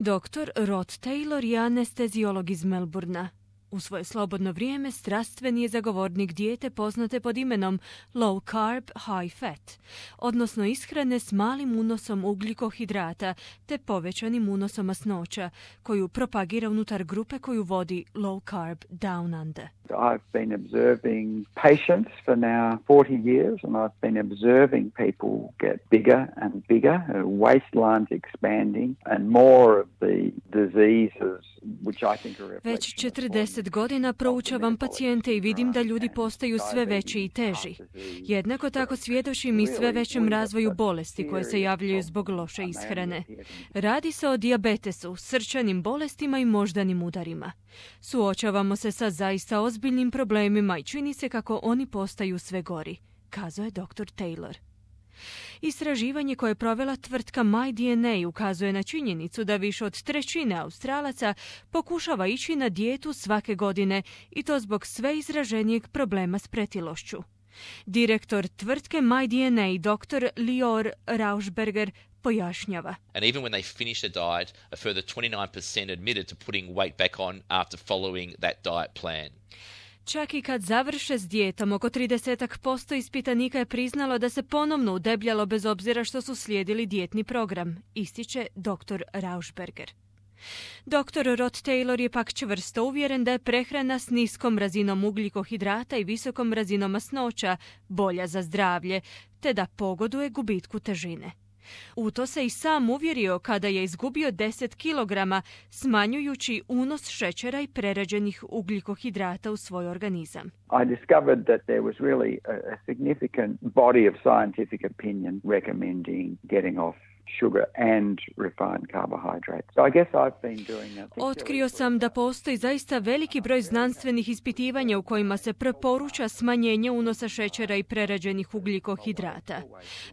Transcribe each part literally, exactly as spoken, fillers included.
doktor Rod Taylor je anesteziolog iz Melbourna. U svoje slobodno vrijeme strastveni je zagovornik dijete poznate pod imenom low carb, high fat, odnosno ishrane s malim unosom ugljikohidrata te povećanim unosom masnoća, koju propagira unutar grupe koju vodi Low Carb Down Under. I've been observing patients for now forty years, and I've been observing people get bigger and bigger, uh, waistlines expanding, and more of the diseases which I think are Već četrdeset godina proučavam pacijente i vidim da ljudi postaju sve veći i teži. Jednako tako svjedočim i sve većem razvoju bolesti koje se javljaju zbog loše ishrane. Radi se o dijabetesu, srčanim bolestima i moždanim udarima. Suočavamo se sa zaista ozbiljnim problemima i čini se kako oni postaju sve gori, kazao je doktor Taylor. Istraživanje koje je provela tvrtka MyDNA ukazuje na činjenicu da više od trećine Australaca pokušava ići na dijetu svake godine i to zbog sve izraženijeg problema s pretilošću. Direktor tvrtke MyDNA, doktor Lior Rauschberger, pojašnjava. And even when they finish a diet, a further twenty-nine percent admitted to putting weight back on after following that diet plan. Čak i kad završe s dijetom, oko trideset posto ispitanika je priznalo da se ponovno udebljalo bez obzira što su slijedili dijetni program, ističe doktor Rauschberger. doktor Rod Taylor je pak čvrsto uvjeren da je prehrana s niskom razinom ugljikohidrata i visokom razinom masnoća bolja za zdravlje, te da pogoduje gubitku težine. U to se i sam uvjerio kada je izgubio deset kilograma, smanjujući unos šećera i prerađenih ugljikohidrata u svoj organizam. I discovered that there was really a, a significant body of scientific opinion recommending getting off sugar and refined carbohydrates. So I guess I've been doing that. Otkrio sam da postoji zaista veliki broj znanstvenih ispitivanja u kojima se preporuča smanjenje unosa šećera i prerađenih ugljikohidrata.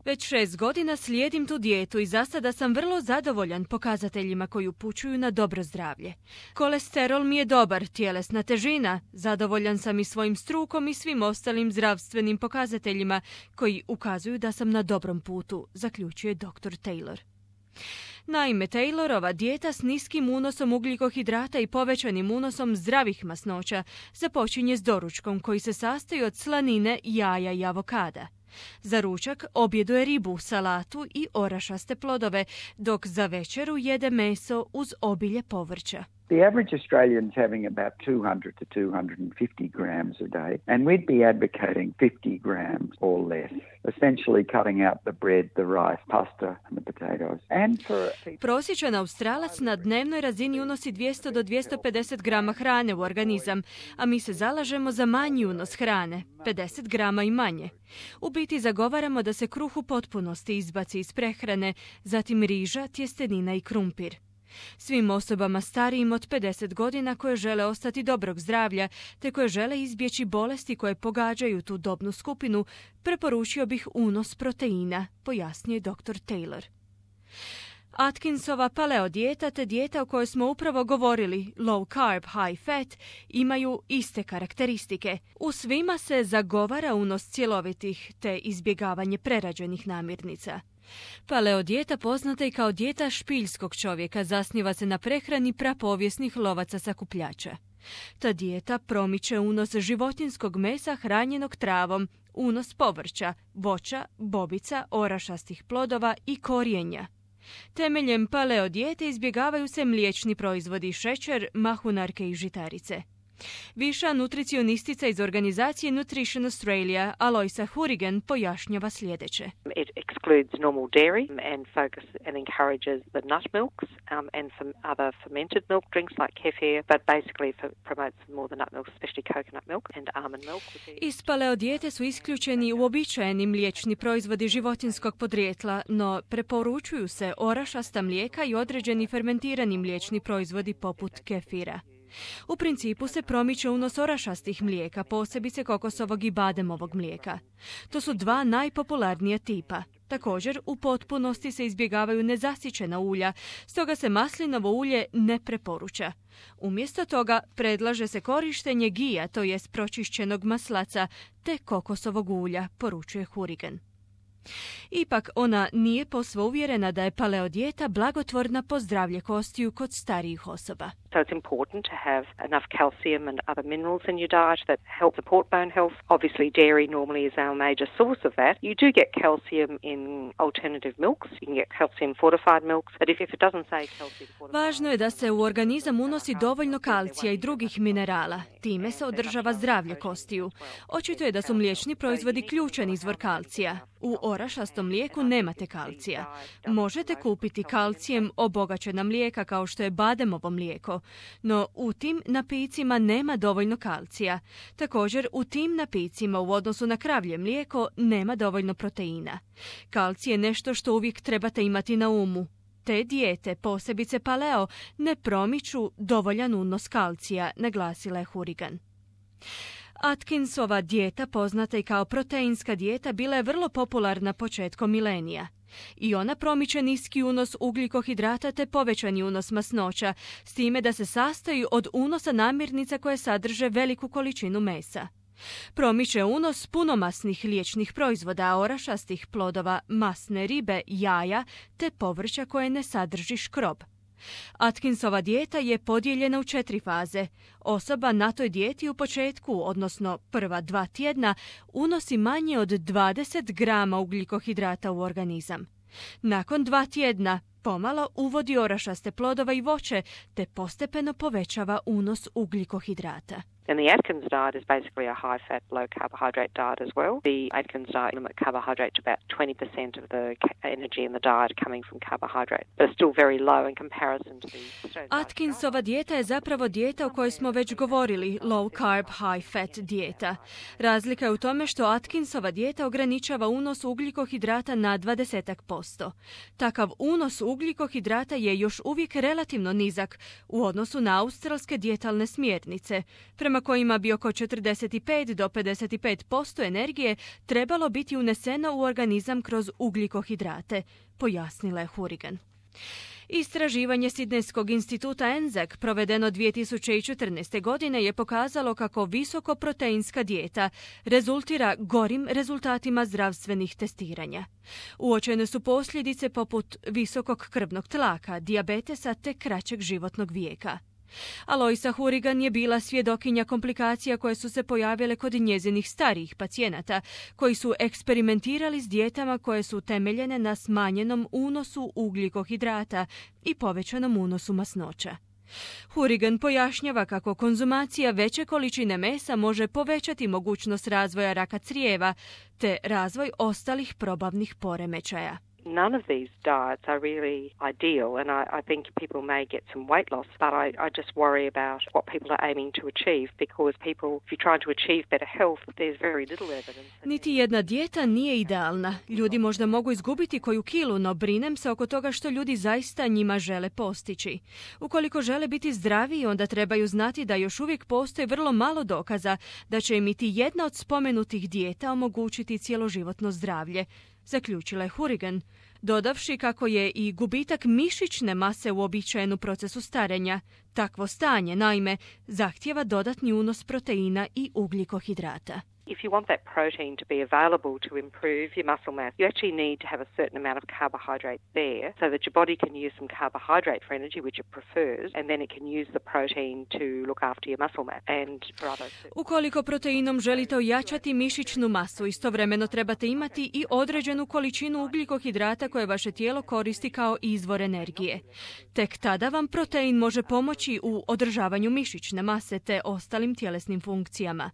Već šest godina slijedim tu dijetu i za sada sam vrlo zadovoljan pokazateljima koji upućuju na dobro zdravlje. Kolesterol mi je dobar, tjelesna težina, zadovoljan sam i svojim strukom i svim ostalim zdravstvenim pokazateljima koji ukazuju da sam na dobrom putu, zaključuje doktor Taylor. Naime, Taylorova dijeta s niskim unosom ugljikohidrata i povećanim unosom zdravih masnoća započinje s doručkom koji se sastoji od slanine, jaja i avokada. Za ručak objeduje ribu, salatu i orašaste plodove, dok za večeru jede meso uz obilje povrća. The average Australian's having about two hundred to two hundred fifty grams a day, and we'd be advocating fifty grams or less, essentially cutting out the bread, the rice, pasta and the potatoes. And for Prosječan Australac na dnevnoj razini unosi dvjesto do dvjesto pedeset grama hrane u organizam, a mi se zalažemo za manji unos hrane, pedeset grama i manje. U biti zagovaramo da se kruh u potpunosti izbaci iz prehrane, zatim riža, tjestenina i krumpir. Svim osobama starijim od pedeset godina koje žele ostati dobrog zdravlja te koje žele izbjeći bolesti koje pogađaju tu dobnu skupinu, preporučio bih unos proteina, pojasnio doktor Taylor. Atkinsova paleo dijeta te dijeta o kojoj smo upravo govorili, low carb, high fat, imaju iste karakteristike. U svima se zagovara unos cjelovitih te izbjegavanje prerađenih namirnica. Paleo dijeta poznata i kao dijeta špiljskog čovjeka zasniva se na prehrani prapovijesnih lovaca sakupljača. Ta dijeta promiče unos životinjskog mesa hranjenog travom, unos povrća, voća, bobica, orašastih plodova i korijenja. Temeljem paleo dijete izbjegavaju se mliječni proizvodi, šećer, mahunarke i žitarice. Viša nutricionistica iz organizacije Nutrition Australia, Aloisa Hourigan, pojašnjava sljedeće. It excludes normal dairy and focus and encourages the nut milks um, and some other fermented milk drinks like kefir, but basically for, promotes more the nut milk, especially coconut milk and almond milk. Iz paleo dijete su isključeni uobičajeni mliječni proizvodi životinjskog podrijetla, no preporučuju se orašasta mlijeka i određeni fermentirani mliječni proizvodi poput kefira. U principu se promiče unos orašastih mlijeka, posebice kokosovog i bademovog mlijeka. To su dva najpopularnija tipa. Također, u potpunosti se izbjegavaju nezasićena ulja, stoga se maslinovo ulje ne preporuča. Umjesto toga predlaže se korištenje gija, to jest pročišćenog maslaca, te kokosovog ulja, poručuje Hourigan. Ipak ona nije posve uvjerena da je paleo dijeta blagotvorna po zdravlje kostiju kod starijih osoba. So it's important to have enough calcium and other minerals in your diet that help support bone health. Obviously, dairy normally is our major source of that. You do get calcium in alternative milks. You can get calcium fortified milks, but if, if it doesn't say calcium fortified... Važno je da se u organizam unosi dovoljno kalcija i drugih minerala. Time se održava zdravlje kostiju. Očito je da su mliječni proizvodi ključan izvor kalcija. U orašastom mlijeku nemate kalcija. Možete kupiti kalcijem obogaćena mlijeka kao što je bademovo mlijeko, no u tim napicima nema dovoljno kalcija. Također, u tim napicima u odnosu na kravlje mlijeko nema dovoljno proteina. Kalcij je nešto što uvijek trebate imati na umu. Te dijete, posebice paleo, ne promiču dovoljan unos kalcija, naglasila je Hourigan. Atkinsova dijeta, poznata i kao proteinska dijeta, bila je vrlo popularna početkom milenija. I ona promiče niski unos ugljikohidrata te povećani unos masnoća, s time da se sastoji od unosa namirnica koje sadrže veliku količinu mesa. Promiče unos punomasnih mliječnih proizvoda, orašastih plodova, masne ribe, jaja te povrća koje ne sadrži škrob. Atkinsova dijeta je podijeljena u četiri faze. Osoba na toj dijeti u početku, odnosno prva dva tjedna, unosi manje od dvadeset grama ugljikohidrata u organizam. Nakon dva tjedna pomalo uvodi orašaste plodove i voće te postepeno povećava unos ugljikohidrata. And the Atkins diet is basically a high-fat, low-carbohydrate diet as well. The Atkins diet limits carbohydrate to about twenty percent of the energy in the diet coming from carbohydrate, but it's still very low in comparison to the... Atkinsova dijeta je zapravo dijeta o kojoj smo već govorili, low-carb, high-fat dijeta. Razlika je u tome što Atkinsova dijeta ograničava unos ugljikohidrata na dvadeset posto. Takav unos ugljikohidrata je još uvijek relativno nizak u odnosu na australske dijetalne smjernice, prema kojima bi oko četrdeset pet do pedeset pet posto energije trebalo biti uneseno u organizam kroz ugljikohidrate, pojasnila je Hourigan. Istraživanje Sidnejskog instituta N Z E C provedeno dvije tisuće četrnaeste. godine je pokazalo kako visokoproteinska dijeta rezultira gorim rezultatima zdravstvenih testiranja. Uočene su posljedice poput visokog krvnog tlaka, dijabetesa te kraćeg životnog vijeka. Aloisa Hourigan je bila svjedokinja komplikacija koje su se pojavile kod njezinih starijih pacijenata, koji su eksperimentirali s dijetama koje su temeljene na smanjenom unosu ugljikohidrata i povećanom unosu masnoća. Hourigan pojašnjava kako konzumacija veće količine mesa može povećati mogućnost razvoja raka crijeva te razvoj ostalih probavnih poremećaja. None of these diets are really ideal, and I, I think people may get some weight loss, but I, I just worry about what people are aiming to achieve, because people, if you're trying to achieve better health, there's very little evidence. Niti jedna dijeta nije idealna. Ljudi možda mogu izgubiti koju kilu, no brinem se oko toga što ljudi zaista njima žele postići. Ukoliko žele biti zdraviji, onda trebaju znati da još uvijek postoji vrlo malo dokaza da će im iti jedna od spomenutih dijeta omogućiti cjeloživotno zdravlje, zaključila je Hourigan, dodavši kako je i gubitak mišićne mase uobičajen u procesu starenja. Takvo stanje, naime, zahtijeva dodatni unos proteina i ugljikohidrata. If you want that protein to be available to improve your muscle mass, you actually need to have a certain amount of carbohydrate there so that your body can use some carbohydrate for energy, which it prefers, and then it can use the protein to look after your muscle mass and for other... Ukoliko proteinom želite ojačati mišićnu masu, istovremeno trebate imati i određenu količinu ugljikohidrata koje vaše tijelo koristi kao izvor energije. Tek tada vam protein može pomoći u održavanju mišićne mase te ostalim tjelesnim funkcijama.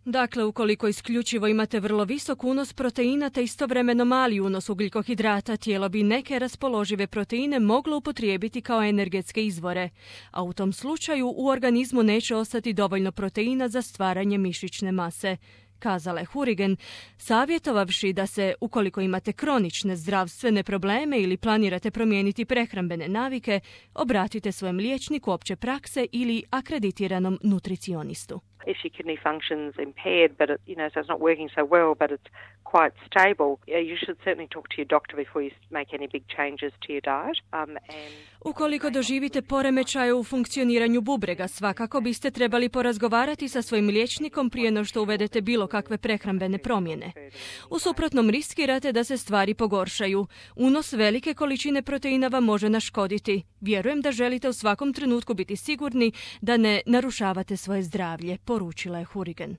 Dakle, ukoliko Ukoliko isključivo imate vrlo visok unos proteina te istovremeno mali unos ugljikohidrata, tijelo bi neke raspoložive proteine moglo upotrijebiti kao energetske izvore, a u tom slučaju u organizmu neće ostati dovoljno proteina za stvaranje mišićne mase, kazala je Hourigan, savjetovavši da se, ukoliko imate kronične zdravstvene probleme ili planirate promijeniti prehrambene navike, obratite svojem liječniku opće prakse ili akreditiranom nutricionistu. If your kidney function's impaired, but it, you know, so it's not working so well, but it's quite stable, you should certainly talk to your doctor before you make any big changes to your diet. Um, and Ukoliko doživite poremećaje u funkcioniranju bubrega, svakako biste trebali porazgovarati sa svojim liječnikom prije no što uvedete bilo kakve prehrambene promjene. U suprotnom riskirate da se stvari pogoršaju. Unos velike količine proteina vam može naškoditi. Vjerujem da želite u svakom trenutku biti sigurni da ne narušavate svoje zdravlje, poručila je Hourigan.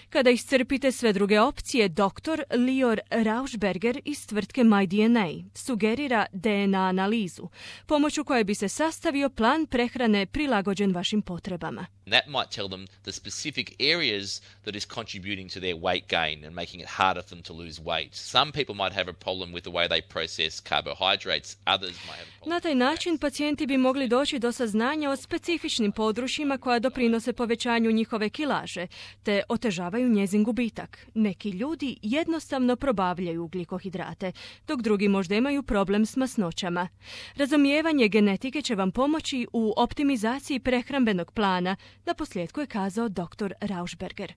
Kada iscrpite sve druge opcije, doktor Lior Rauschberger iz tvrtke MyDNA sugerira D N A analizu, pomoću koje bi se sastavio plan prehrane prilagođen vašim potrebama. That might tell them the specific areas that is contributing to their weight gain and making it harder for them to lose weight. Some people might have a problem with the way they process carbohydrates, others might have a problem. Na taj način pacijenti bi mogli doći do saznanja o specifičnim područjima koja doprinose povećanju njihove kilaže, te otežavaju njezin gubitak. Neki ljudi jednostavno probavljaju ugljikohidrate, dok drugi možda imaju problem s masnoćama. Razumijevanje genetike će vam pomoći u optimizaciji prehrambenog plana, naposljetku je kazao doktor Rauschberger.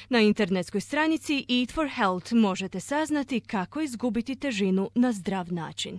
Na internetskoj stranici Eat for Health možete saznati kako izgubiti težinu na zdrav način.